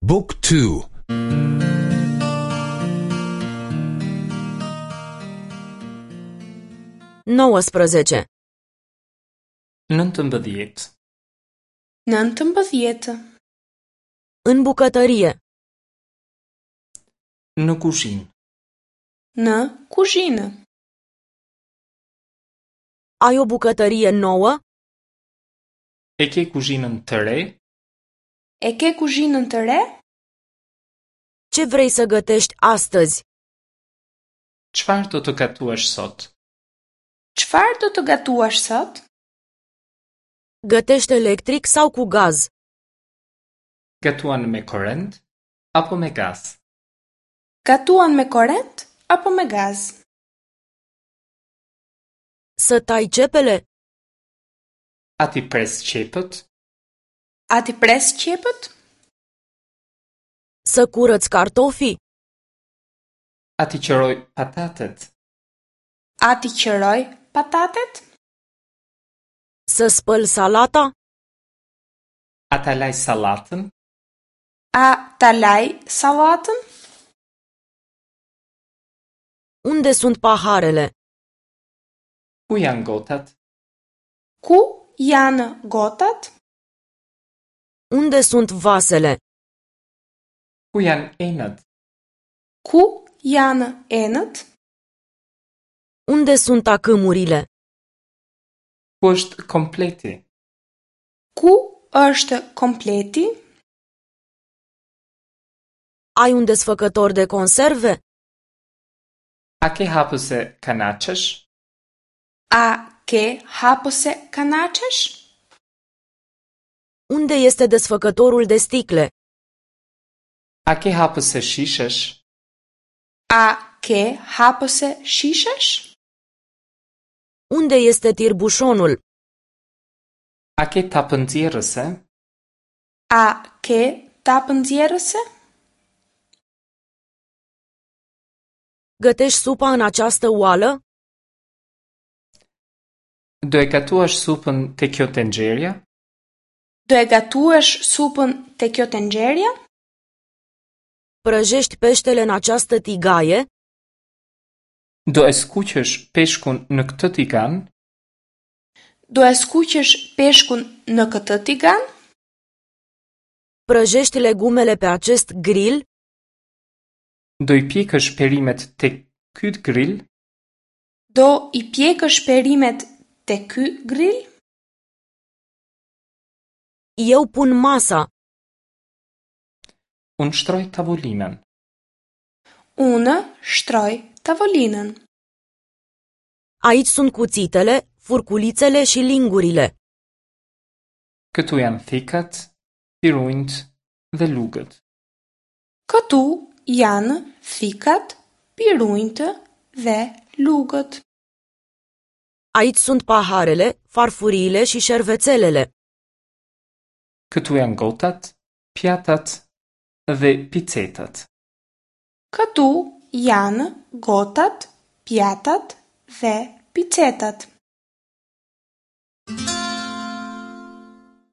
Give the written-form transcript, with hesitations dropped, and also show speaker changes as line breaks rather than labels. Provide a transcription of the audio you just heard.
บุ๊กทู
19.
19.
19.
În bucătărie.
Në kuzhinë.
Në kuzhinë.
Ai o bucătărie nouă?
E ke kuzhinën të re?
E ke kuzhinën të re?
Ce vrei să gătești astăzi?
Çfarë do të gatuash sot?
Çfarë do të gatuash sot?
Gătești electric sau cu gaz?
Gatuan me korrent apo me gaz?
Gatuan me korrent apo me gaz?
Să tai cepele?
A t'i pres qepët?
A t'i pres qepët?
Să curăț cartofii?
A t'i qëroj patatet?
A t'i qëroj patatet?
Să spăl salata?
A ta laj sallatën?
A ta laj sallatën?
Unde sunt paharele?
Ku janë gotat?
Ku janë gotat?
Unde sunt vasele?
Ku janë enët?
Ku janë enët?
Unde sunt tacâmurile?
Ku është kompleti?
Ku është kompleti?
Ai un desfăcător de conserve?
A ke hapëse kanaçesh?
A ke hapëse kanaçesh?
Unde este desfăcătorul de sticle?
A ke hapëse shishesh?
A ke hapëse shishesh?
Unde este tirbușonul?
A ke tapë nxjerrëse?
A ke tapë nxjerrëse?
Gătești supa în această oală?
Do e gatuash supën te kjo tenxherja?
Do e gatuash supën te kjo tenxherja?
Prăjești peștele în această tigaie?
Do e skuqësh peshkun në këtë tigan?
Do e skuqësh peshkun në këtë tigan?
Prăjești legumele pe acest grill?
Do i pjekësh perimet te ky grill?
Do i pjekësh perimet te ky grill?
Eu pun masa.
Unë shtroj tavolinën.
Unë shtroj tavolinën.
Aici sunt cuțitele, furculițele și lingurile.
Këtu janë thikat, pirunjt dhe lugët.
Këtu janë thikat, pirunjtë dhe lugët.
Aici sunt paharele, farfuriile și șervețelele.
Këtu janë gotat, pjatat dhe picetat.
Këtu janë gotat, pjatat dhe picetat.